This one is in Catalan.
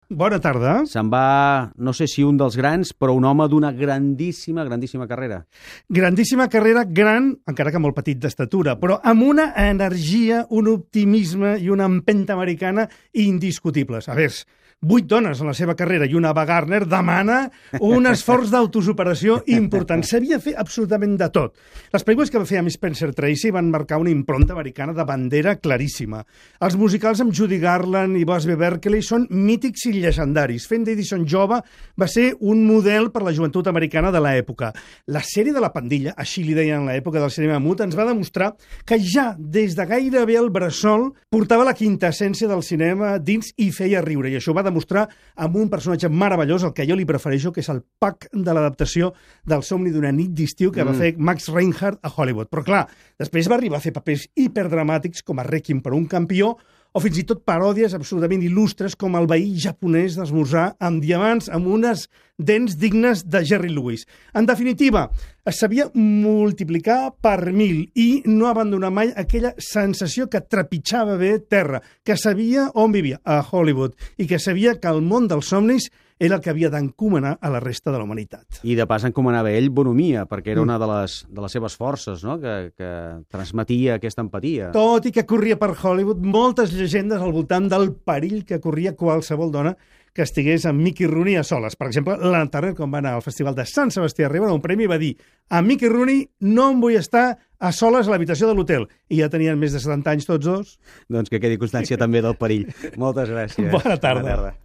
Bona tarda. Se'n va, no sé si un dels grans, però un home d'una grandíssima carrera. Grandíssima carrera, gran, encara que molt petit d'estatura, però amb una energia, un optimisme i una empenta americana indiscutibles. A veure, 8 dones en la seva carrera i una Ava Gardner demana un esforç d'autosuperació important. Sabia fer absolutament de tot. Les pel·lícules que va fer amb Spencer Tracy van marcar una impronta americana de bandera claríssima. Els musicals amb Judy Garland i Busby Berkeley són mítics i llegendaris. Fent d'Edison jove va ser un model per la joventut americana de l'època. La sèrie de La Pandilla, així li deien en l'època del cinema mut, ens va demostrar que ja des de gairebé el bressol portava la quintessència del cinema dins i feia riure. I això va demostrar amb un personatge meravellós, el que jo li prefereixo, que és el Puck de l'adaptació del Somni d'una nit d'estiu que va fer Max Reinhardt a Hollywood. Però clar, després va arribar a fer papers hiperdramàtics com a Requiem per un campió o fins i tot paròdies absolutament il·lustres com el veí japonès d'esmorzar amb diamants amb unes dents dignes de Jerry Lewis. En definitiva, es sabia multiplicar per 1000 i no abandonar mai aquella sensació que trepitjava bé terra, que sabia on vivia, a Hollywood, i que sabia que el món dels somnis era el que havia d'encomanar a la resta de la humanitat. I de pas encomanava ell bonomia, perquè era una de les seves forces, no? que transmetia aquesta empatia. Tot i que corria per Hollywood, moltes llegendes al voltant del perill que corria qualsevol dona que estigués amb Mickey Rooney a soles. Per exemple, l'Anna Turner, quan va anar al Festival de Sant Sebastià a rebre un premi, va dir: a Mickey Rooney no em vull estar a soles a l'habitació de l'hotel. I ja tenien més de 70 anys tots dos. Doncs que quedi constància també del perill. Moltes gràcies. Bona tarda.